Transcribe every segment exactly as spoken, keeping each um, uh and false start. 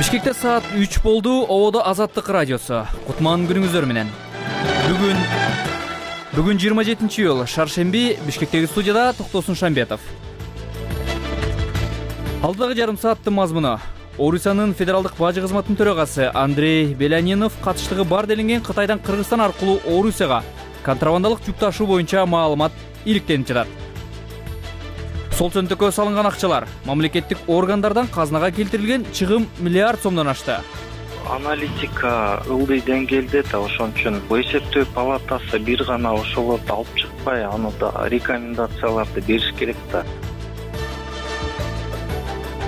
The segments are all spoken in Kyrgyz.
Бишкекте саат үч болду. Ободо Азаттык радиосу. Кутман күнүңүздөр менен. Бүгүн Бүгүн жыйырма жетинчи июль, шаршемби. Бишкектеги студияда Токтосун Шамбетов. Алдыдагы жарым сааттын мазмуну: Орусиянын федералдык бажы кызматынын төрагасы Андрей Белянинов катыштыгы бар делинген Кытайдан Кыргызстан аркылуу Орусияга контрабандалык жүк ташуу боюнча маалымат иликтенип жатат. Сол чөнтөккө салынган акчалар мамлекеттик органдардан казынага келтирилген чыгым миллиард сомдон ашты. Аналитика ылдый деңгээлде да, ошон үчүн эсептөө палатасы бир гана ошолорду алып чыкпай, аны да рекомендацияларды бериш керек да.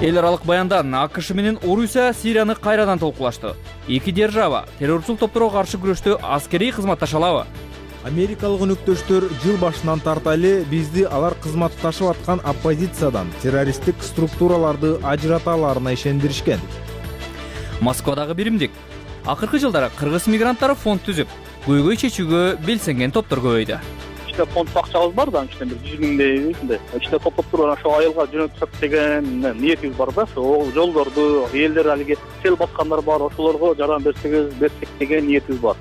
Эл аралык баяндан АКШ менен Орусия Сирияны кайрадан толкулашты. Эки держава террорчул топторго каршы күрөштө аскерий кызматташа алабы? Америкалык өнөктөштөр жыл башынан тарта эле бизди алар кызматташып аткан оппозициядан террористтик структураларды ажырата аларына ишендиришкен. Москвадагы биримдик акыркы жылдары кыргыз мигранттары фонд түзүп, көйгөй чечүүгө белсенген топтор көбөйдү. Ичте фонд акчабыз бар да, ичте бир жүз миңдей, ушундай. Ичте топтоп туруп ошо айылга жөнөтсөк деген ниетибиз бар да. Ошол жолдорду, элдер алиги сел баскандар бар, ошолорго жардам берсек, берсек деген ниетибиз бар.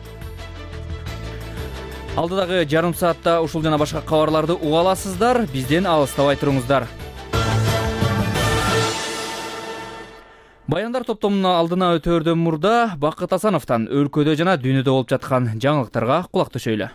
Алдыдагы жарым саатта ушул жана башка кабарларды уга аласыздар. Бизден алыстабай туруңуздар. Баяндар топтомунун алдына өтөөрдөн мурда Бакыт Асановдон өлкөдө жана дүйнөдө болуп жаткан жаңылыктарга кулак төшөйлү.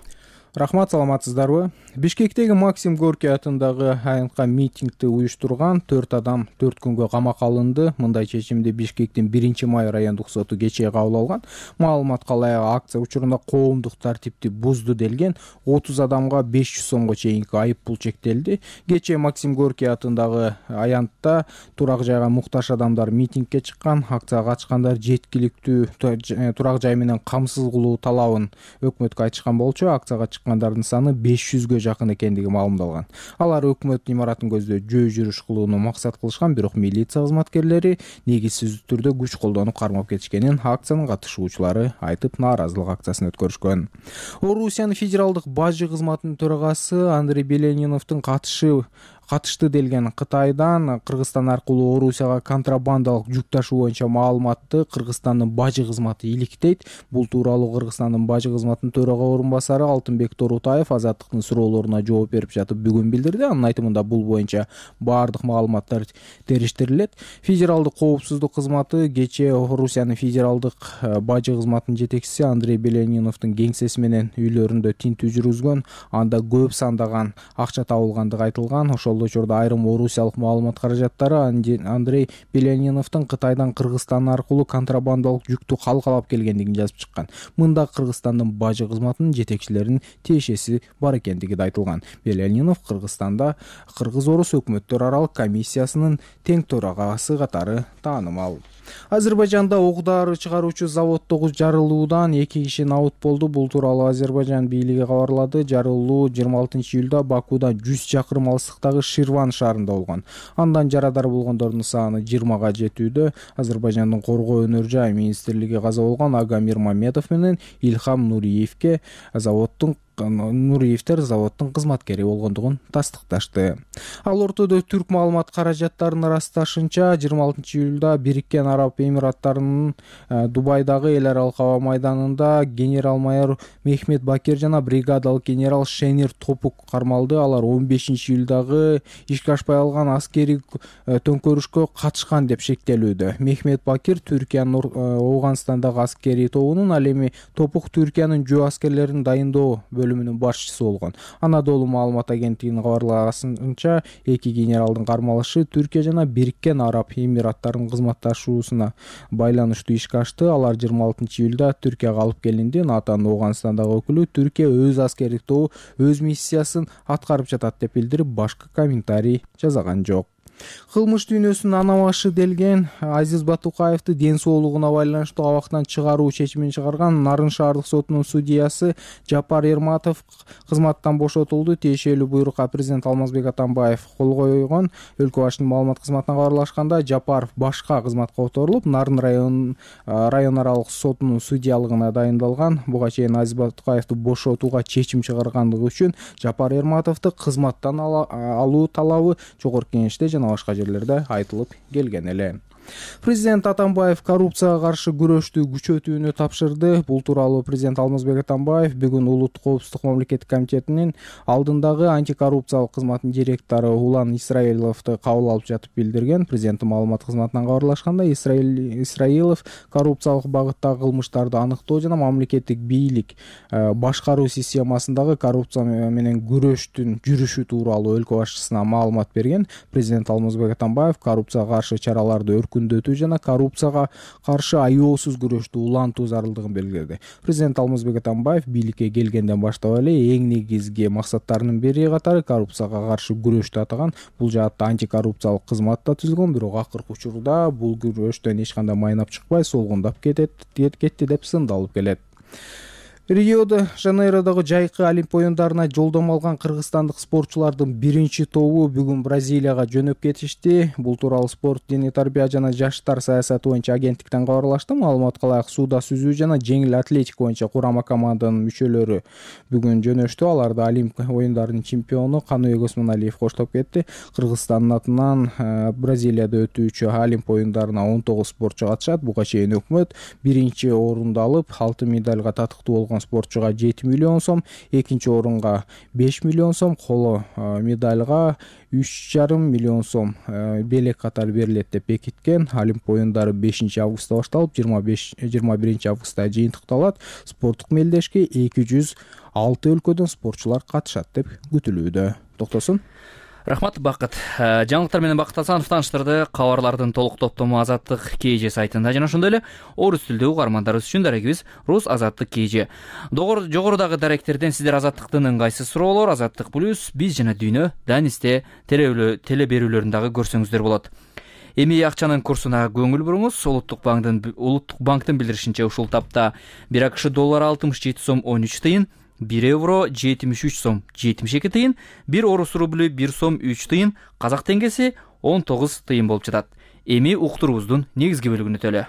Рахмат, саламатсыздарбы? Бишкектеги Максим Горький атындагы аянтка митингди уюштурган төрт адам төрт күнгө камакка алынды. Мындай чечимди Бишкектин биринчи май райондук соту кечээ кабыл алган. Маалыматка ылайык акция учурунда коомдук тартипти бузду делген отуз адамга беш жүз сомго чейинки айып пул чектелди. Кечээ Максим Горький атындагы аянтта турак жайга муктаж адамдар митингге чыккан. Акцияга катышкандар жеткиликтүү турак жай менен камсыз кылуу талабын өкмөткө айтышкан болчу. Акцияга чыккандардын саны беш жүзгө жакын экендиги маалымдалган. Алар өкмөт имаратын көздөй жөө жүрүш кылууну максат кылышкан, бирок милиция кызматкерлери негизсиз түрдө күч колдонуп кармап кетишкенин акциянын катышуучулары айтып, нааразылык акциясын өткөрүшкөн. Орусиянын федералдык бажы кызматынын төрагасы Андрей Беляниновдун катышы катышты делген Кытайдан Кыргызстан аркылуу Орусияга контрабандалык жүк ташуу боюнча маалыматты Кыргызстандын бажы кызматы иликтейт. Бул тууралуу Кыргызстандын бажы кызматынын төрага орун басары Алтынбек Торутаев Азаттыктын суроолоруна жооп берип жатып бүгүн билдирди. Анын айтымында бул боюнча баардык маалыматтар териштирилет. Федералдык коопсуздук кызматы кечээ Орусиянын федералдык бажы кызматынын жетекчиси Андрей Беляниновдун кеңсеси менен үйлөрүндө тинтүү жүргүзгөн. Анда көп сандаган акча табылгандыгы айтылган. Ошол учурда айрым орусиялык маалымат каражаттары Андрей Беляниновдун Кытайдан Кыргызстан аркылуу контрабандалык жүктү калкалап келгендигин жазып чыккан. Мында Кыргызстандын бажы кызматынын жетекчилеринин тиешеси бар экендиги да айтылган. Белянинов Кыргызстанда кыргыз-орус өкмөттөр аралык комиссиясынын тең төрагасы катары таанымал. Азербайжанда ок-дары чыгаруучу заводдогу жарылуудан эки киши набыт болду. Бул тууралуу Азербайжан бийлиги кабарлады. Жарылуу жыйырма алтынчы июлда Бакудан жүз чакырым алыстыктагы Ширван шаарында болгон. Андан жарадар болгондордун саны жыйырмага жетүүдө. Азербайжандын коргоо өнөр жай министрлиги каза болгон Агамир Мамедов менен Илхам Нуриевке заводдун Нуриевтер заводдун кызматкери болгондугун тастыкташты. Ал ортодо түрк маалымат каражаттарынын ырасташынча жыйырма алтынчы июлда Бириккен Араб Эмираттарынын Дубайдагы эл аралык аба майданында генерал-майор Мехмет Бакир жана бригадалык генерал Шенир Топук кармалды. Алар он бешинчи июлдагы ишке ашпай алган аскерий төңкөрүшкө катышкан деп шектелүүдө. Мехмет Бакир Түркиянын Ауганстандагы аскерий тобунун, ал эми Топук Түркиянын жөө аскерлерин дайындоо бөлүмүнүн башчысы болгон. Анадолу маалымат агенттигинин кабарлаганынча эки генералдын кармалышы Түркия жана Бириккен Араб Эмираттарынын кызматташуусуна байланыштуу ишке ашты. Алар жыйырма алтынчы июлда Түркияга алып келинди. НАТОнун Ауганстандагы өкүлү Түркия өз аскердик тобу өз миссиясын аткарып жатат деп билдирип, башка комментарий жасаган жок. Кылмыш дүйнөсүнүн анамашы делген Азиз Батукаевди ден соолугуна байланыштуу абактан чыгаруу чечимин чыгарган Нарын шаардык сотунун судьясы Жапар Эрматов кызматтан бошотулду. Тиешелүү буйрукка президент Алмазбек Атамбаев кол койгон. Өлкө башчынын маалымат кызматына кабарлашканда, Жапаров башка кызматка которулуп, Нарын район район аралык сотунун судьялыгына дайындалган. Буга чейин Азиз Батукаевди бошотууга чечим чыгаргандыгы үчүн Жапар Эрматовду кызматтан алуу талабы жогорку кеңеште жана башка жерлерде айтылып келген эле. Президент Атамбаев коррупцияга каршы күрөштү күчөтүүнү тапшырды. Бул тууралуу президент Алмазбек Атамбаев бүгүн Улуттук коопсуздук мамлекеттик комитетинин алдындагы антикоррупциялык кызматтын директору Улан Исраиловду кабыл алып жатып билдирген. Президенттин маалымат кызматынан кабарлашкандай, Исраилов коррупциялык багыттагы кылмыштарды аныктоо жана мамлекеттик бийлик башкаруу системасындагы коррупция менен күрөштүн жүрүшү тууралуу өлкө башчысына маалымат берген. Президент Алмазбек Атамбаев коррупцияга каршы чараларды өркүндөтүү жана коррупцияга каршы аеосуз күрөштү улантуу зарылдыгын белгиледи. Президент Алмазбек Атамбаев бийликке келгенден баштап эле эң негизги максаттарынын бири катары коррупцияга каршы күрөштү атаган. Бул жаатта антикоррупциялык кызмат да түзүлгөн, бирок акыркы учурда бул күрөштөн эч кандай майнап чыкпай, солгундап кетет кетти деп сындалып келет. Рио-де-Жанейродогу жайкы Олимп оюндарына жолдомо алган кыргызстандык спортчулардын биринчи тобу бүгүн Бразилияга жөнөп кетишти. Бул тууралуу спорт, дене тарбия жана жаштар саясаты боюнча агенттиктен кабарлашты. Маалыматка ылайык, сууда сүзүү жана жеңил атлетика боюнча курама команданын мүчөлөрү бүгүн жөнөштү. Аларды Олимп оюндарынын чемпиону Каныбек Осмоналиев коштоп кетти. Кыргызстандын атынан Бразилияда өтүүчү Олимп оюндарына он тогуз спортчу катышат. Буга чейин өкмөт биринчи орунду алып, алтын медальга татыктуу болгон спортчуга жети миллион сом, экинчи орунга беш миллион сом, коло медальга үч жарым миллион сом белек катары берилет деп бекиткен. Олимп оюндары бешинчи августта башталып, жыйырма биринчи августта жыйынтыкталат. Спорттук мелдешке эки жүз алты өлкөдөн спортчулар катышат деп күтүлүүдө. Токтосун. Рахмат, Бакыт. Жаңылыктар менен Бакыт Асанов тааныштырды. Кабарлардын толук топтому Азаттык КЖ сайтында жана ошондой эле орус тилдүү угармандарыбыз үчүн дарегибиз Рус Азаттык КЖ. Жогорудагы даректерден сиздер Азаттыктын ыңгайсыз суроолор, Азаттык плюс, биз жана дүйнө Данисте теле берүүлөрүн дагы көрсөңүздөр болот. Эми акчанын курсуна көңүл буруңуз. Улуттук банктын Улуттук банктын билдиришинче ушул тапта бир АКШ доллары алтымыш жети сом он үч тыйын, бир евро жетимиш үч сом жетимиш эки тыйын, бир орус рублю бир сом үч тыйын, казак теңгеси он тогуз тыйын болуп жатат. Эми уктуруубуздун негизги бөлүгүнө төлө.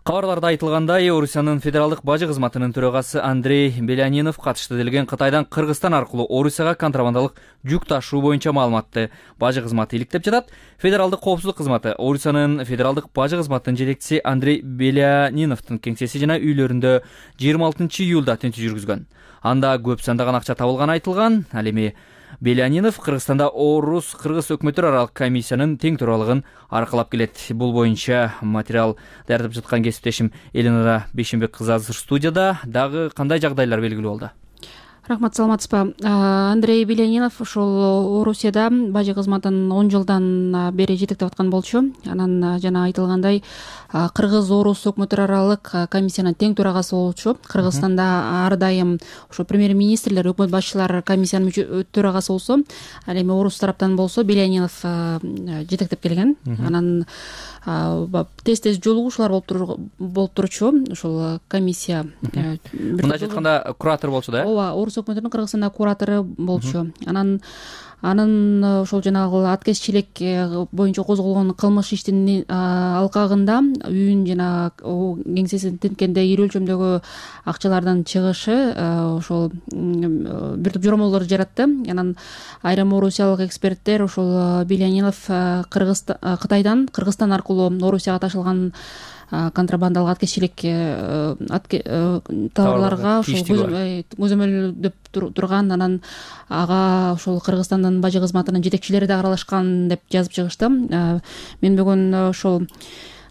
Кабарларда айтылгандай, Орусиянын федералдык бажы кызматынын төрагасы Андрей Белянинов катышты делген Кытайдан Кыргызстан аркылуу Орусияга контрабандалык жүк ташуу боюнча маалыматты бажы кызматы иликтеп жатат. Федералдык коопсуздук кызматы Орусиянын федералдык бажы кызматынын жетекчиси Андрей Беляниновдун кеңсеси жана үйлөрүндө жыйырма алтынчы июлда тинтүү жүргүзгөн. Анда көп сандаган акча табылганы айтылган. Ал эми Белянинов Кыргызстанда орус кыргыз өкмөттөр аралык комиссиянын тең төралыгын аркылап келет. Бул боюнча материал даярдап жаткан кесиптешим Элинара Бейшенбек кызы азыр студияда. Дагы кандай жагдайлар белгилүү болду? Рахмат, саламатсызбы. Андрей Белянинов ушул Орусияда бажы кызматын он жылдан бери жетектеп аткан болчу. Анан жана айтылгандай кыргыз-орус өкмөттөр аралык комиссиянын тең төрагасы болчу. Кыргызстанда ар дайым ошо премьер-министрлер, өкмөт башчылары комиссиянын төрагасы болсо, ал эми орус тараптан болсо Белянинов жетектеп келген. Анан тез-тез жолугушуулар болуп турчу. Ушул комиссия мындай айтканда куратор болчу да? Ооба, орус өкмөтүнүн Кыргызстанда куратору болчу. Анан анын ошол жанагы аткезчилик боюнча козголгон кылмыш иштин алкагында үйүн жана кеңсесин тинткенде ири өлчөмдөгү акчалардын чыгышы ошол бир топ жоромолдорду жаратты. Анан айрым орусиялык эксперттер ошол Белянинов Кытайдан Кыргызстан аркылуу Орусияга ташылган контрабандалык аткезчилик товарларга ошол көзөмөлдөп турган. Анан ага ошол Кыргызстандын бажы кызматынын жетекчилери да аралашкан деп жазып чыгышты. Мен бүгүн ошол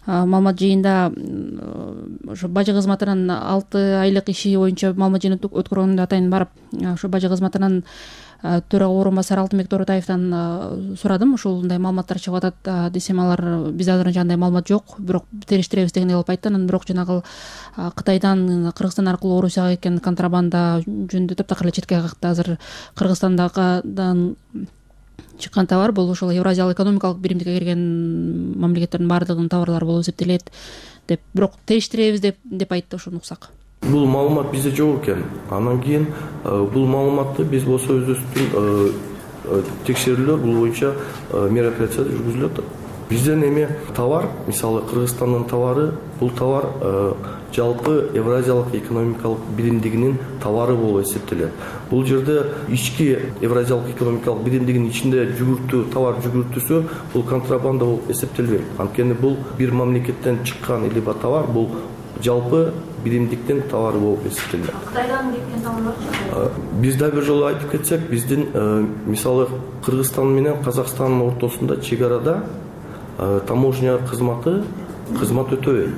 маалымат жыйында ошо бажы кызматынын алты айлык иши боюнча маалымат жыйын өткөргөндө атайын барып ошо бажы кызматынын төрага орун басары Алтынбек Тоортаевтан сурадым. Ушундай маалыматтар чыгып атат десем, алар биз азырынча андай маалымат жок, бирок териштиребиз дегендей кылып айтты. Анан бирок жанагы Кытайдан Кыргызстан аркылуу Орусияга кеткен контрабанда жөнүндө таптакыр эле четке какты. Азыр Кыргызстандан чыккан товар бул ошол Евразиялык экономикалык биримдикке кирген мамлекеттердин баардыгынын товарлары болуп эсептелет деп, бирок териштиребиз деп деп айтты. Ошону уксак. Бул маалымат бизде жок экен. Анан кийин бул маалыматты биз болсо өзүбүздүн текшерүүлөр бул боюнча мероприятия жүргүзүлүп атат. Бизден эме товар, мисалы Кыргызстандын товары, бул товар жалпы Евразиялык экономикалык биримдигинин товары болуп эсептелет. Бул жерде ички Евразиялык экономикалык биримдигинин ичинде жүгүртүү, товар жүгүртүүсү бул контрабанда болуп эсептелбейт. Анткени бул бир мамлекеттен чыккан либо товар, бул жалпы биримдиктин товары болуп эсептелет. Кытайдан кеткен товарлар? Биз да бир жолу айтып кетсек, биздин мисалы Кыргызстан менен Казакстандын ортосунда чек арада таможня кызматы кызмат өтөбөйт.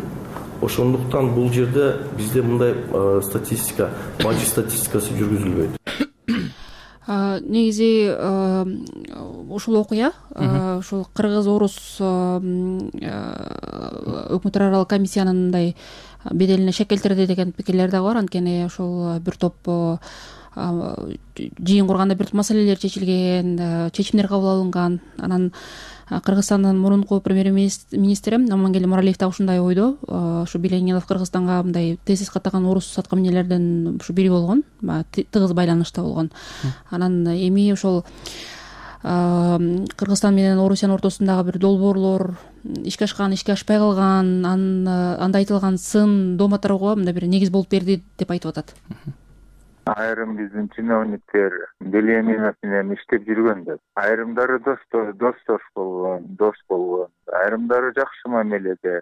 Ошондуктан бул жерде бизде мындай статистика, бажы статистикасы жүргүзүлбөйт. Негизи ушул окуя ушул кыргыз-орус өкмөттөр аралык комиссиянын мындай беделине шек келтирди деген пикирлер дагы бар. Анткени ушул бир топ жыйын курганда бир топ маселелер чечилген, чечимдер кабыл алынган. Анан Кыргызстандын мурунку премьер-министри Амангелди Муралиев да ушундай ойдо. Ушу Беленинов Кыргызстанга мындай тезис каттаган орус саткан эмнелерден ушу бири болгон, тыгыз байланышта болгон. Анан эми ошол Кыргызстан менен Орусиянын ортосундагы бир долбоорлор ишке ашкан, ишке ашпай калган, анда айтылган сын дооматтарга мындай бир негиз болуп берди деп айтып атат. Айрым биздин чиновниктер Беленинов менен иштеп жүргөн деп. Айрымдары достор, достош болгон, дос болгон. Айрымдары жакшы мамиледе.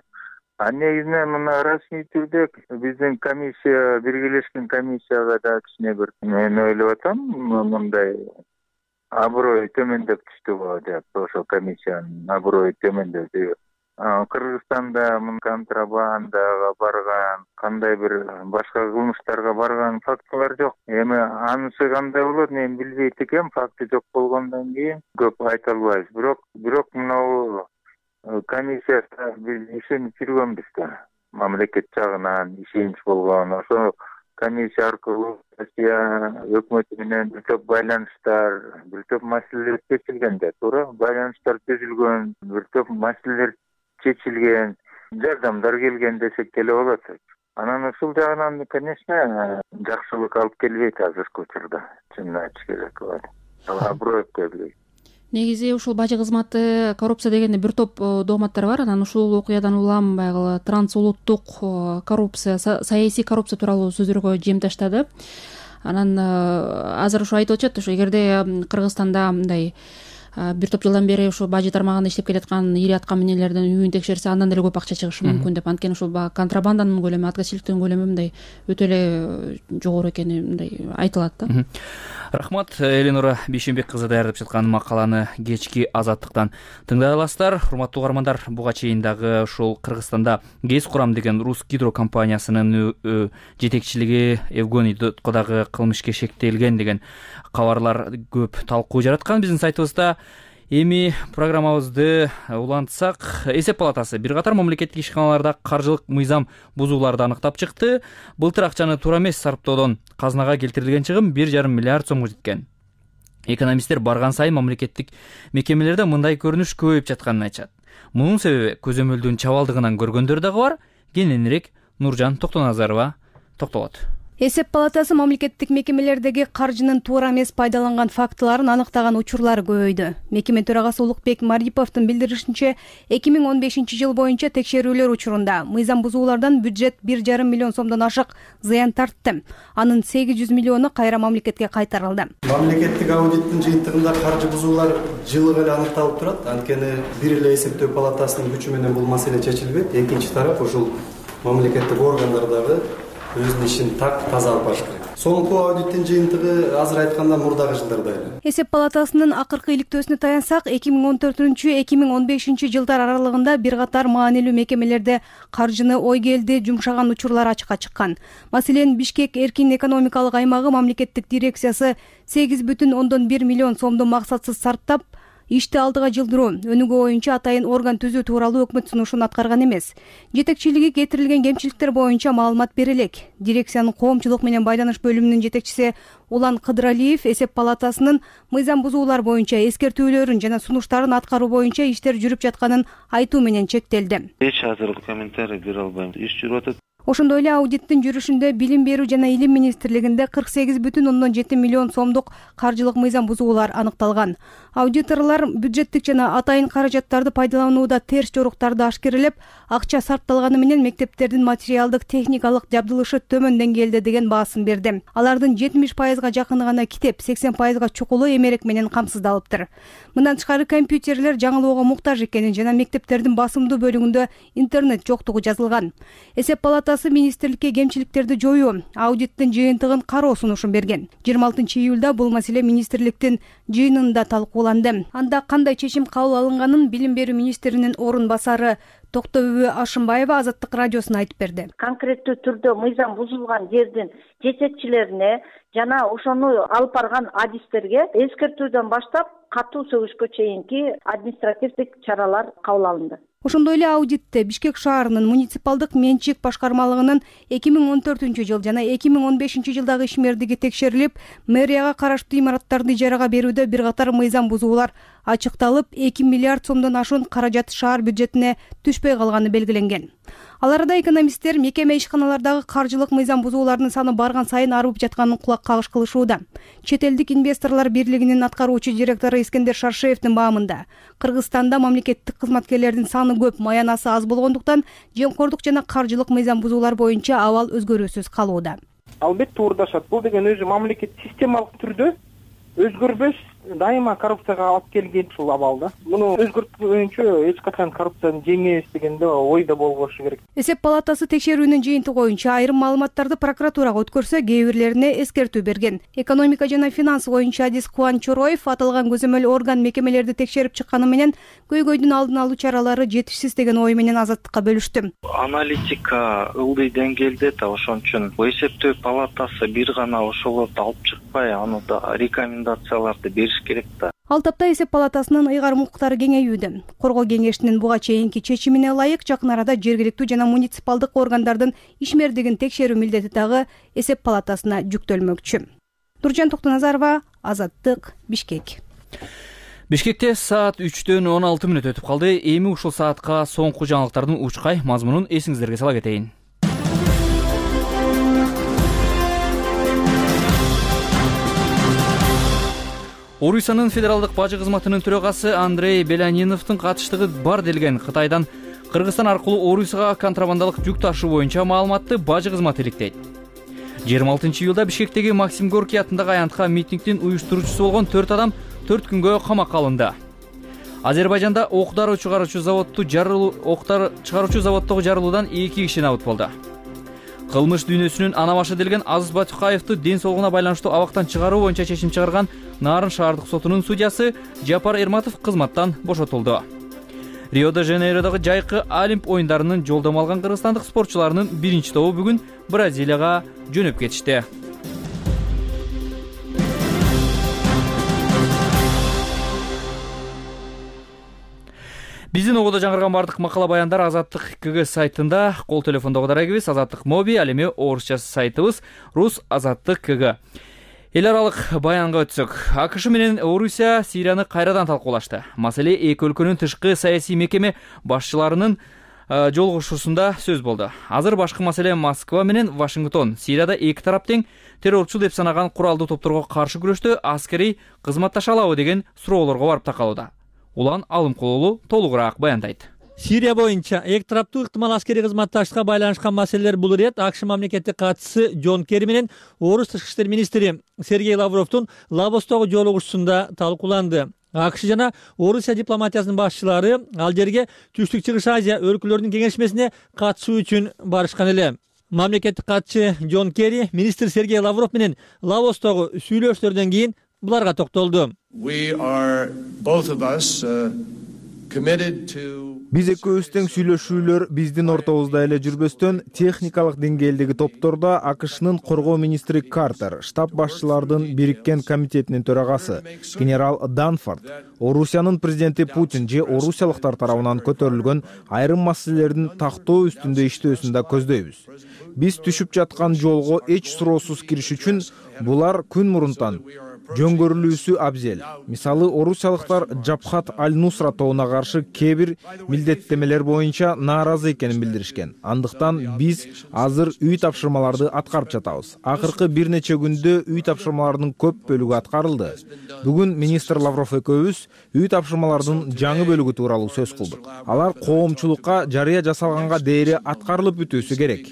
А негизинен мына расмий түрдө биздин комиссия, биргелешкен комиссияга да кичине бир мен ойлоп атам, мындай аброй төмөндөп түштү деп, ошо комиссиянын аброю төмөндөдү. Кыргызстанда мын контрабандага барган, кандай бир башка кылмыштарга барган фактылар жок. Эми анысы кандай болот, мен билбейт экенмин, факты жок болгондон кийин көп айта албайбыз. Бирок, бирок мына комиссияда биз ишенип жүргөнбүз да. Мамлекет жагынан ишенич болгон. Ошо комиссия аркылуу Россия өкмөтү менен бир топ байланыштар, бир топ маселелер чечилген да, туура. Байланыштар түзүлгөн, бир топ маселелер чечилген, жардамдар келген десек деле болот. Анан ушул жагынан, конечно, жакшылык алып келбейт азыркы учурда. Чынын айтыш керек. Аброй келбейт. Негизи ушул бажы кызматы, коррупция дегенде бир топ дооматтар бар. Анан ушул окуядан улам байгы трансулуттук коррупция, саясий коррупция тууралуу сөздөргө жем таштады. Анан азыр ушу айтып атышат, ушу эгерде Кыргызстанда мындай бир топ жылдан бери ушу бажы тармагында иштеп келаткан ири аткаминерлердин үйүн текшерсе, андан деле көп акча чыгышы мүмкүн деп. Анткени ушул контрабанданын көлөмү, аткачылыктын көлөмү мындай өтө эле жогору экени мындай айтылат да. Рахмат, Эленора Бейшенбек кызы даярдап жаткан макаланы кечки Азаттыктан тыңдай аласыздар. Урматтуу угармандар, буга чейин дагы ушул Кыргызстанда ГЭС курам деген Рус гидро компаниясынын жетекчилиги Евгений Дудко дагы кылмышка шектелген деген кабарлар көп талкуу жараткан биздин сайтыбызда. Эми программабызды улантсак, эсеп палатасы бир катар мамлекеттик ишканаларда каржылык мыйзам бузууларды аныктап чыкты. Былтыр акчаны туура эмес сарптоодон казынага келтирилген чыгым бир жарым миллиард сомго жеткен. Экономисттер барган сайын мамлекеттик мекемелерде мындай көрүнүш көбөйүп жатканын айтышат. Мунун себеби көзөмөлдүн чабалдыгынан көргөндөр дагы бар. Кененирээк Нуржан Токтоназарова токтолот. Эсеп палатасы мамлекеттик мекемелердеги каржынын туура эмес пайдаланган фактыларын аныктаган учурлар көбөйдү. Мекеме төрагасы Улукбек Мариповдун билдиришинче, эки миң он бешинчи жыл боюнча текшерүүлөр учурунда мыйзам бузуулардан бюджет бир жарым миллион сомдон ашык зыян тартты. Анын сегиз жүз миллиону кайра мамлекетке кайтарылды. Мамлекеттик аудиттин жыйынтыгында каржы бузуулар жылы эле аныкталып турат. Анткени бир эле эсептөө палатасынын күчү менен бул маселе чечилбейт. Экинчи тарап ушул мамлекеттик органдар дагы өзүнүн ишин так таза алып барыш керек. Соңку аудиттин жыйынтыгы азыр айтканда мурдагы жылдарда эле. Эсеп палатасынын акыркы иликтөөсүнө таянсак, эки миң он төртүнчү эки миң он бешинчи жылдар аралыгында бир катар маанилүү мекемелерде каржыны ойгелди жумшаган учурлар ачыкка чыккан. Маселен, Бишкек эркин экономикалык аймагы мамлекеттик дирекциясы сегиз бүтүн ондон бир миллион сомду максатсыз сарптап, ишти алдыга жылдыруу, өнүгүү боюнча атайын орган түзүү тууралуу өкмөт сунушун аткарган эмес. Жетекчилиги кетирилген кемчиликтер боюнча маалымат бере элек. Дирекциянын коомчулук менен байланыш бөлүмүнүн жетекчиси Улан Кыдыралиев эсеп палатасынын мыйзам бузуулар боюнча эскертүүлөрүн жана сунуштарын аткаруу боюнча иштер жүрүп жатканын айтуу менен чектелди. Эч азыр комментарий бере албайм. Иш жүрүп атат. Ошондой эле аудиттин жүрүшүндө билим берүү жана илим министрлигинде кырк сегиз бүтүн ондон жети миллион сомдук каржылык мыйзам бузуулар аныкталган. Аудиторлор бюджеттик жана атайын каражаттарды пайдаланууда терс жоруктарды ашкерелеп, акча сарпталганы менен мектептердин материалдык техникалык жабдылышы төмөн деңгээлде деген баасын берди. Алардын жетимиш пайызга жакыны гана китеп, сексен пайызга чукулу эмерек менен камсыздалыптыр. Мындан тышкары компьютерлер жаңылоого муктаж экени жана мектептердин басымдуу бөлүгүндө интернет жоктугу жазылган. Эсеп палатасы министрликке кемчиликтерди жоюу, аудиттин жыйынтыгын кароо сунушун берген. жыйырма алтынчы июлда бул маселе министрликтин жыйынында талкууланды. Анда кандай чечим кабыл алынганын билим берүү министринин орун басары Токтобүбү Ашымбаева Азаттык радиосуна айтып берди. Конкреттүү түрдө мыйзам бузулган жердин жетекчилерине жана ошону алып барган адистерге эскертүүдөн баштап катуу сөгүшкө чейинки административдик чаралар кабыл алынды. Ошондой эле аудитте Бишкек шаарынын муниципалдык менчик башкармалыгынын эки миң он төртүнчү жыл жана эки миң он бешинчи жылдагы ишмердиги текшерилип, мэрияга караштуу имараттарды ижарага берүүдө бир катар мыйзам бузуулар ачыкталып, эки миллиард сомдон ашуун каражат шаар бюджетине түшпөй калганы белгиленген. Ал арада экономисттер мекеме ишканалардагы каржылык мыйзам бузуулардын саны барган сайын арып жатканын кулак кагыш кылышууда. Чет элдик инвесторлор бирлигинин аткаруучу директору Искендер Шаршеевдин баамында Кыргызстанда мамлекеттик кызматкерлердин саны көп, маянасы аз болгондуктан жемкордук жана каржылык мыйзам бузуулар боюнча абал өзгөрүүсүз калууда. Албетте туурдашат. Бул деген өзү мамлекет системалык түрдө өзгөрбөс дайыма коррупцияга алып келген ушул абалда. Муну өзгөртпөйүнчө эч качан коррупцияны жеңебиз дегенде ойдо болбошу керек. Эсеп палатасы текшерүүнүн жыйынтыгы боюнча айрым маалыматтарды прокуратурага өткөрсө, кээ бирлерине эскертүү берген. Экономика жана финанс боюнча адис Кубан Чороев аталган көзөмөл орган мекемелерди текшерип чыкканы менен көйгөйдүн алдын алуу чаралары жетишсиз деген ой менен Азаттыкка бөлүштү. Аналитика ылдый деңгээлде да, ошон үчүн эсептөө палатасы бир гана ошолорду алып чыкпай, аны да рекомендацияларды бериш керек да. Ал тапта эсеп палатасынын ыйгарым укуктары кеңейүүдө. Коргоо кеңешинин буга чейинки чечимине ылайык жакын арада жергиликтүү жана муниципалдык органдардын ишмердигин текшерүү милдети дагы эсеп палатасына жүктөлмөкчү. Нуржан Токтоназарова, Азаттык, Бишкек. Бишкекте саат үчтөн он алты мүнөт өтүп калды. Эми ушул саатка соңку жаңылыктардын учкай мазмунун эсиңиздерге сала кетейин. Орусиянын федералдык бажы кызматынын төрагасы Андрей Беляниновдун катыштыгы бар делген Кытайдан Кыргызстан аркылуу Орусияга контрабандалык жүк ташуу боюнча маалыматты бажы кызматы иликтейт. жыйырма алтынчы июлда Бишкектеги Максим Горький атындагы аянтка митингдин уюштуруучусу болгон төрт адам төрт күнгө камакка алынды. Азербайжанда ок-дару чыгаруучу заводду жарылуу ок-дару чыгаруучу заводдогу жарылуудан эки киши набыт болду. Кылмыш дүйнөсүнүн ана башы делген Азыз Батукаевду ден соолугуна байланыштуу абактан чыгаруу боюнча чечим чыгарган Нарын шаардык сотунун судьясы Жапар Эрматов кызматтан бошотулду. Рио-де-Жанейродогу жайкы Олимп оюндарынын жолдомо алган кыргызстандык спортчуларынын биринчи тобу бүгүн Бразилияга жөнөп кетишти. Биздин ободо жаңырган бардык макала баяндар Азаттык КГ сайтында, кол телефондогу дарегибиз Азаттык Моби, ал эми орусча сайтыбыз Рус Азаттык КГ. Эл аралык баянга өтсөк, АКШ менен Орусия Сирияны кайрадан талкуулашты. Маселе эки өлкөнүн тышкы саясий мекеме башчыларынын жолугушуусунда сөз болду. Азыр башкы маселе Москва менен Вашингтон Сирияда эки тарап тең террорчу деп санаган куралдуу топторго каршы күрөштө аскерий кызматташа алабы деген суроолорго барып такалууда. Улан Алымкулулу толугураак баяндайт. Сирия боюнча эки тараптуу ыктымал аскерий кызматташтыкка байланышкан маселелер бул ирет АКШ мамлекеттик катчысы Джон Керри менен Орус тышкы иштер министри Сергей Лавровдун Лавостогу жолугушуусунда талкууланды. АКШ жана Орусия дипломатиясынын башчылары ал жерге Түштүк Чыгыш Азия өлкөлөрүнүн кеңешмесине катышуу үчүн барышкан эле. Мамлекеттик катчы Джон Керри министр Сергей Лавров менен Лавостогу сүйлөшүүлөрдөн кийин буларга токтолду. Биз экөөбүз тең сүйлөшүүлөр биздин ортобузда эле жүрбөстөн техникалык деңгээлдеги топтордо АКШнын коргоо министри Картер, штаб башчылардын бириккен комитетинин төрагасы генерал Данфорд, Орусиянын президенти Путин же орусиялыктар тарабынан көтөрүлгөн айрым маселелердин тактоо үстүндө иштөөсүн да көздөйбүз. Биз түшүп жаткан жолго эч суроосуз кириш үчүн булар күн мурунтан жөн көрүлүүсү абзел. Мисалы, орусиялыктар Жабхат аль-Нусра тобуна каршы кээ бир милдеттемелер боюнча нааразы экенин билдиришкен. Андыктан биз азыр үй тапшырмаларды аткарып жатабыз. Акыркы бир нече күндө үй тапшырмаларынын көп бөлүгү аткарылды. Бүгүн министр Лавров экөөбүз үй тапшырмалардын жаңы бөлүгү тууралуу сөз кылдык. Алар коомчулукка жарыя жасалганга дейре аткарылып бүтүүсү керек.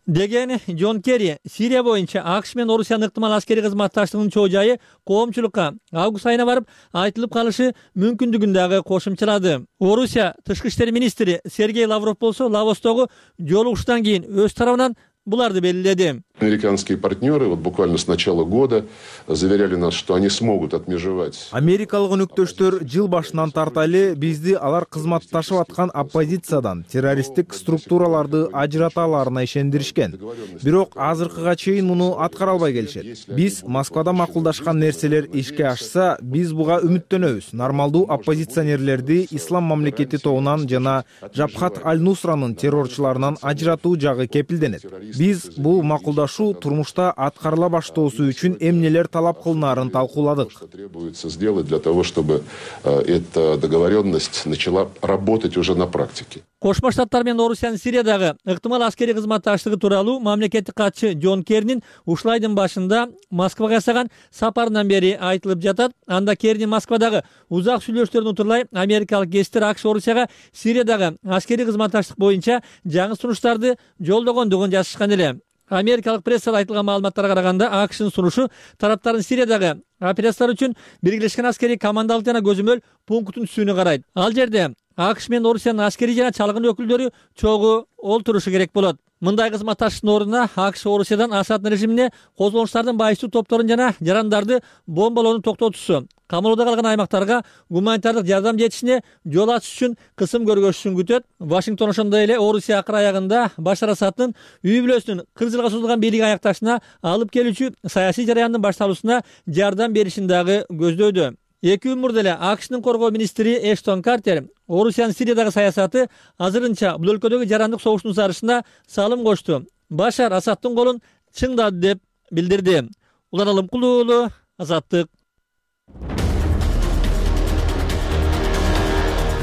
Деген Джон Керри Сирия боюнча АКШ менен Орусиянын ыктымал аскерий кызматташтыгынын чоо жайы коомчулукка август айына барып айтылып калышы мүмкүндүгүн дагы кошумчалады. Орусия тышкы иштер министри Сергей Лавров болсо Лавостогу жолугушуудан кийин өз тарабынан буларды белгиледи. Американские партнеры вот буквально с начала года заверяли нас, что они смогут отмежевать. Америкалык өнөктөштөр жыл башынан тарталы бизди алар кызматташып аткан оппозициядан террористтик структураларды ажырата аларына ишендиришкен. Бирок азыркыга чейин муну аткара албай келишет. Биз Москвада макулдашкан нерселер ишке ашса, биз буга үмүттөнөбүз. Нормалдуу оппозиционерлерди Ислам мамлекети тобунан жана Жабхат аль-Нусранын террорчуларынан ажыратуу жагы кепилденет. Биз бул макулдашуу турмушта аткарыла баштоосу үчүн эмнелер талап кылынаарын талкууладык. Требуется сделать для того, чтобы эта договоренность начала работать уже на практике. Кошмо Штаттар менен Орусиянын Сириядагы ыктымал аскерий кызматташтыгы тууралуу мамлекеттик катчы Джон Керринин ушул айдын башында Москвага жасаган сапарынан бери айтылып жатат. Анда Керринин Москвадагы узак сүйлөшүүлөрдөн утурлай америкалык кесиптер АКШ Орусияга Сириядагы аскерий кызматташтык боюнча жаңы сунуштарды жолдогондугун жазышкан эле. Америкалык прессада айтылган маалыматтарга караганда АКШнын сунушу тараптардын Сириядагы операциялар үчүн биргелешкен аскерий командалык жана көзөмөл пунктун түзүүнү карайт. Ал жерде АКШ менен Орусиянын аскерий жана чалгын өкүлдөрү чогуу олтурушу керек болот. Мындай кызматташтыктын ордуна АКШ Орусиядан Асад режимине козголуштардын байчу топторун жана жарандарды бомбалоону токтотуусу, камалоодо калган аймактарга гуманитардык жардам жетишине жол ачыш үчүн кысым көргөзүшүн күтөт. Вашингтон ошондой эле Орусия акыр аягында Башар Асаддын үй бүлөсүнүн кырк жылга созулган бийлиги аякташына алып келүүчү саясий жараяндын башталуусуна жардам беришин дагы көздөйдү. Эки күн мурда эле АКШнын коргоо министри Эштон Картер Орусиянын Сириядагы саясаты азырынча бул өлкөдөгү жарандык согуштун зарышына салым кошту. Башар Асаддын колун чыңдады деп билдирди. Улан Алымкулуу уулу, Азаттык.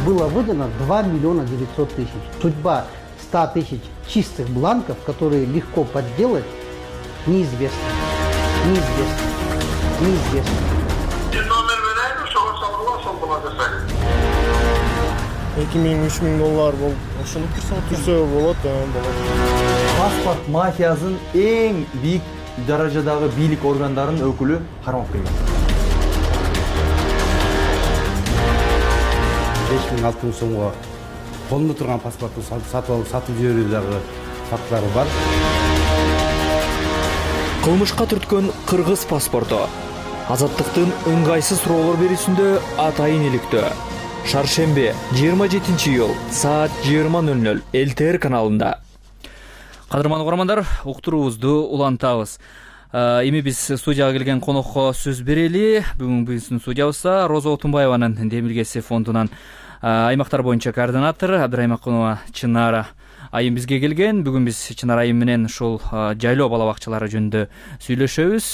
Было выдано два миллиона девятьсот тысяч. Судьба ста тысяч чистых бланков, которые легко подделать, неизвестна. Неизвестна. Неизвестна. эки миң үч миң доллар болуп ошону түрсө болот. Паспорт мафиясынын эң бийик даражадагы бийлик органдарынын өкүлү кармап келген. беш миң алты миң сомго колунда турган паспорту сатып алып сатып жиберүү дагы факттары бар. Кылмышка түрткөн кыргыз паспорту Азаттыктын ыңгайсыз суроолор берүүсүндө атайын иликтөө. Шаршембе жыйырма жетинчи июль саат жыйырма ноль ноль эл тэ эр каналында. Кадырман угармандар, уктуруубузду улантабыз. Эми биз студияга келген конокко сөз берели. Бүгүн биздин студиябызда Роза Отунбаеванын Демилгеси фондунан аймактар боюнча координатор Абдраймакунова Чынара айым бизге келген. Бүгүн биз Чынара айым менен ушул жайлоо бала бакчалары жөнүндө сүйлөшөбүз.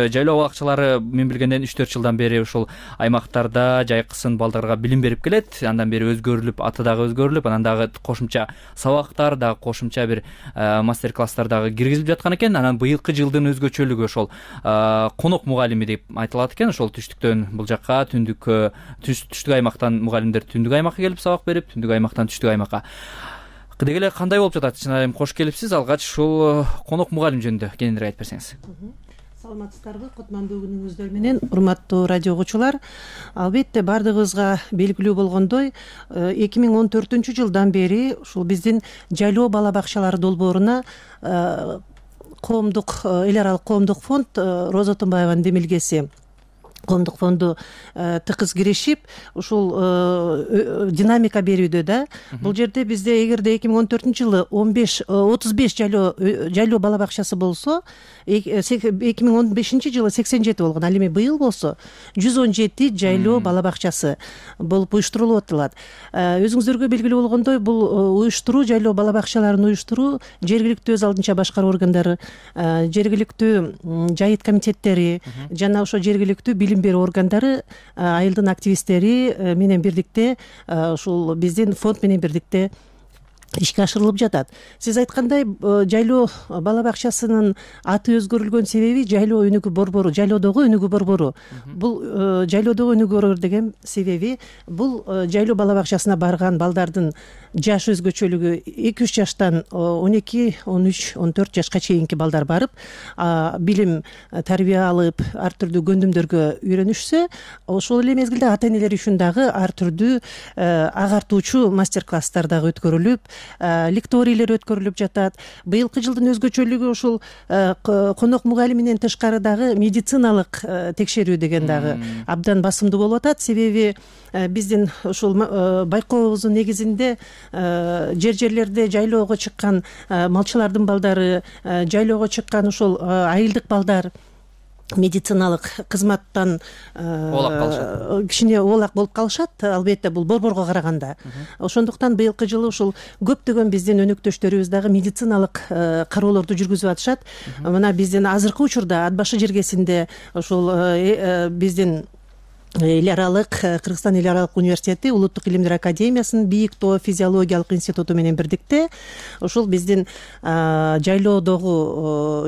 Жайлоо бала бакчалары мен билгенден үч төрт жылдан бери ушул аймактарда жайкысын балдарга билим берип келет. Андан бери өзгөрүлүп, аты дагы өзгөрүлүп, анан дагы кошумча сабактар дагы кошумча бир мастер-класстар дагы киргизилип жаткан экен. Анан быйылкы жылдын өзгөчөлүгү ошол конок мугалими деп айтылат экен. Ошол түштүктөн бул жакка, түндүккө, түштүк аймактан мугалимдер түндүк аймакка келип сабак берип, түндүк аймактан түштүк аймакка. Деги эле кандай болуп жатат? Чынайым кош келипсиз. Алгач ушул конок мугалим жөнүндө кененирээк айтып берсеңиз. Саламатсыздарбы, кутмандуу күнүңүздөр менен, урматтуу радио угуучулар. Албетте бардыгыбызга белгилүү болгондой, эки миң он төртүнчү жылдан бери ушул биздин жайлоо бала бакчалары долбооруна коомдук эл аралык коомдук фонд Роза Отунбаеванын Демилгеси коомдук фонду тыкыз киришип ушул динамика берүүдө да. Бул жерде бизде эгерде эки миң он төртүнчү жылы он беш отуз беш жайлоо жайлоо бала бакчасы болсо, эки миң он бешинчи жылы сексен жети болгон, ал эми быйыл болсо жүз он жети жайлоо бала бакчасы болуп уюштурулуп атылат. Өзүңүздөргө белгилүү болгондой, бул уюштуруу, жайлоо бала бакчаларын уюштуруу жергиликтүү өз алдынча башкаруу органдары, жергиликтүү жайыт комитеттери жана ошо жергиликтүү билим берүү органдары, айылдын активисттери менен бирдикте, ушул биздин фонд менен бирдикте ишке ашырылып жатат. Сиз айткандай, жайлоо бала бакчасынын аты өзгөрүлгөн себеби жайлоо өнүгүү борбору, жайлоодогу өнүгүү борбору. Бул жайлоодогу өнүгүү борбору деген себеби бул жайлоо бала бакчасына барган балдардын жаш өзгөчөлүгү эки үч жаштан он эки, он үч, он төрт жашка чейинки балдар барып, билим, тарбия алып, ар түрдүү көндүмдөргө үйрөнүшсө, ошол эле мезгилде ата энелер үчүн дагы ар түрдүү агартуучу мастер-класстар дагы өткөрүлүп, лекторийлер өткөрүлүп жатат. Быйылкы жылдын өзгөчөлүгү ушул конок мугалиминен тышкары дагы медициналык текшерүү деген дагы абдан басымдуу болуп атат. Себеби биздин ушул байкообуздун негизинде жер жерлерде жайлоого чыккан малчылардын балдары, жайлоого чыккан ушул айылдык балдар медициналык кызматтан кичине оолак болуп калышат, албетте бул борборго караганда. Ошондуктан быйылкы жылы ушул көптөгөн биздин өнөктөштөрүбүз дагы медициналык кароолорду жүргүзүп атышат. Мына биздин азыркы учурда Ат башы жергесинде ушул биздин эл аралык Кыргызстан эл аралык университети Улуттук илимдер академиясынын бийик тоо физиологиялык институту менен бирдикте ушул биздин жайлоодогу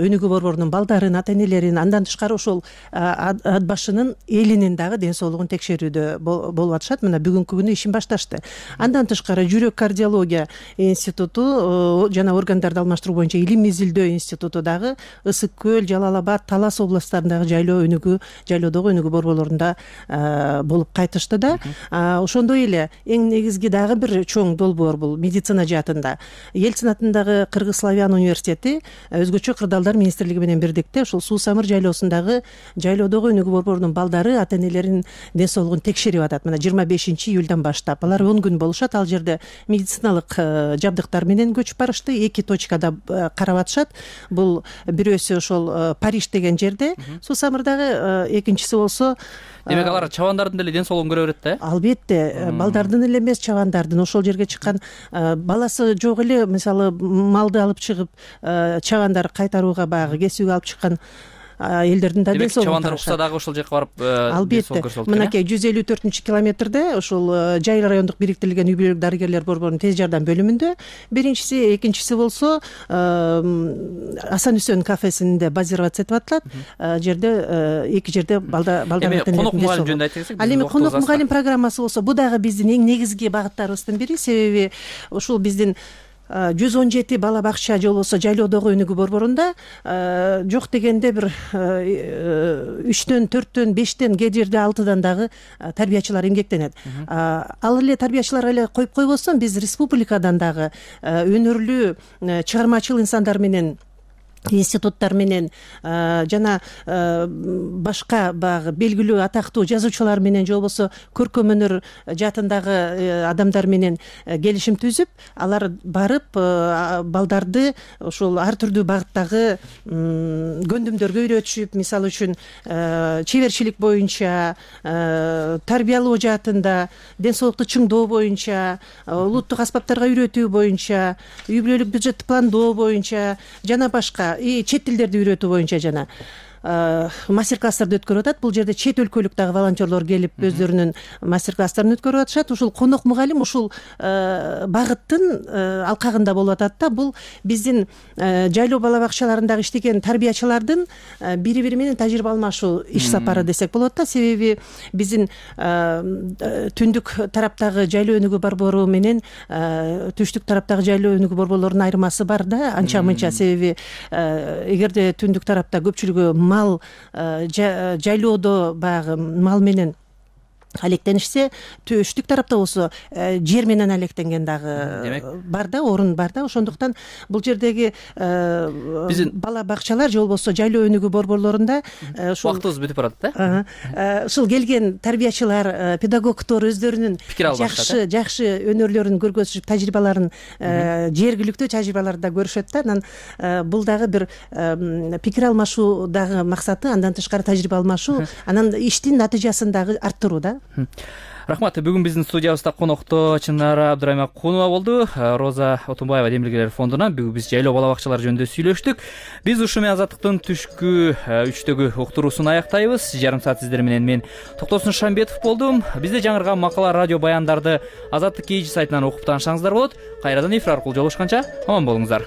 өнүгүү борборунун балдарын, ата энелерин, андан тышкары ушул Ат башынын элинин дагы ден соолугун текшерүүдө болуп атышат. Мына бүгүнкү күнү ишин башташты. Андан тышкары жүрөк кардиология институту жана органдарды алмаштыруу боюнча илим изилдөө институту дагы Ысык көл, Жалал Абад, Талас областтарындагы жайлоо өнүгүү, жайлоодогу өнүгүү борборлорунда болуп кайтышты да. Ошондой эле эң негизги дагы бир чоң долбоор бул медицина жаатында. Ельцин атындагы Кыргыз славян университети өзгөчө кырдаалдар министрлиги менен бирдикте ушул Суу Самыр жайлоосундагы жайлоодогу өнүгүү борборунун балдары, ата энелеринин ден соолугун текшерип атат. Мына жыйырма бешинчи июлдан баштап алар он күн болушат. Ал жерде медициналык жабдыктар менен көчүп барышты. Эки точкада карап атышат. Бул бирөөсү ошол Париж деген жерде, Суу Самырдагы, экинчиси болсо. Демек алар чабандардын деле ден соолугун көрө берет да? Албетте, балдардын эле эмес, чабандардын. Ошол жерге чыккан баласы жок эле, мисалы малды алып чыгып, чабандар кайтарууга баягы кесүүгө алып чыккан элдердин да ден соолугун чабандар укса дагы ошол жака барып албетте. Мынакей жүз элүү төртүнчү километрде ушул Жай райондук бириктирилген үй бүлөлүк дарыгерлер борборунун тез жардам бөлүмүндө биринчиси, экинчиси болсо Асан Үсөн кафесинде базироваться этип атылат. Жерде эки жерде балдар эми конок мугалим жөнүндө айта кетсек, ал эми конок мугалим программасы болсо бу дагы биздин эң негизги багыттарыбыздын бири. Себеби ушул биздин жүз он жети бала бакча же болбосо жайлоодогу өнүгүү борборунда жок дегенде бир үчтөн, төрттөн, бештен, кээ жерде алтыдан дагы тарбиячылар эмгектенет. Ал эле тарбиячылар эле коюп койбостон, биз республикадан дагы өнөрлүү чыгармачыл инсандар менен, институттар менен жана башка баягы белгилүү атактуу жазуучулар менен же болбосо көркөм өнөр жаатындагы адамдар менен келишим түзүп, алар барып балдарды ушул ар түрдүү багыттагы көндүмдөргө үйрөтүшүп, мисалы үчүн чеберчилик боюнча, тарбиялоо жаатында, ден соолукту чыңдоо боюнча, улуттук аспаптарга үйрөтүү боюнча, үй бүлөлүк бюджеттти пландоо боюнча жана башка и чет тилдерди үйрөтүү боюнча жана мастер-класстарды өткөрүп атат. Бул жерде чет өлкөлүк дагы волонтерлор келип өздөрүнүн мастер-класстарын өткөрүп атышат. Ушул конок мугалим ушул багыттын алкагында болуп атат да. Бул биздин жайлоо бала бакчаларындагы иштеген тарбиячылардын бири бири менен тажрыйба алмашуу иш сапары десек болот да. Себеби биздин түндүк тараптагы жайлоо өнүгүү борбору менен түштүк тараптагы жайлоо өнүгүү борборлорунун айырмасы бар да, анча мынча. Себеби эгерде түндүк тарапта көпчүлүгү мал, жайлоодо баягы мал менен алектенишсе, төштүк тарапта болсо жер менен алектенген дагы бар да, орун бар да. Ошондуктан бул жердеги биздин бала бакчалар же болбосо жайлоо өнүгүү борборлорунда ушул убактыбыз бүтүп барат да. Ушул келген тарбиячылар, педагогдор өздөрүнүн жакшы жакшы өнөрлөрүн көргөзүшүп, тажрыйбаларын, жергиликтүү тажрыйбаларды да көрүшөт да. Анан бул дагы бир пикир алмашуу дагы максаты, андан тышкары тажрыйба алмашуу, анан иштин натыйжасын дагы арттыруу да. Рахмат. Бүгүн биздин студиябызда конокто Чынара Абдыраймакунова болду. Роза Отунбаева Демилгелер фондунан. Бүгүн биз жайлоо бала бакчалары жөнүндө сүйлөштүк. Биз ушу менен Азаттыктын түшкү үчтөгү уктуруусун аяктайбыз. Жарым саат сиздер менен мен Токтосун Шамбетов болдум. Бизде жаңырган макала, радио баяндарды Азаттык кей жи сайтынан окуп таанышсаңыздар болот. Кайрадан эфир аркылуу жолугушканча аман болуңуздар.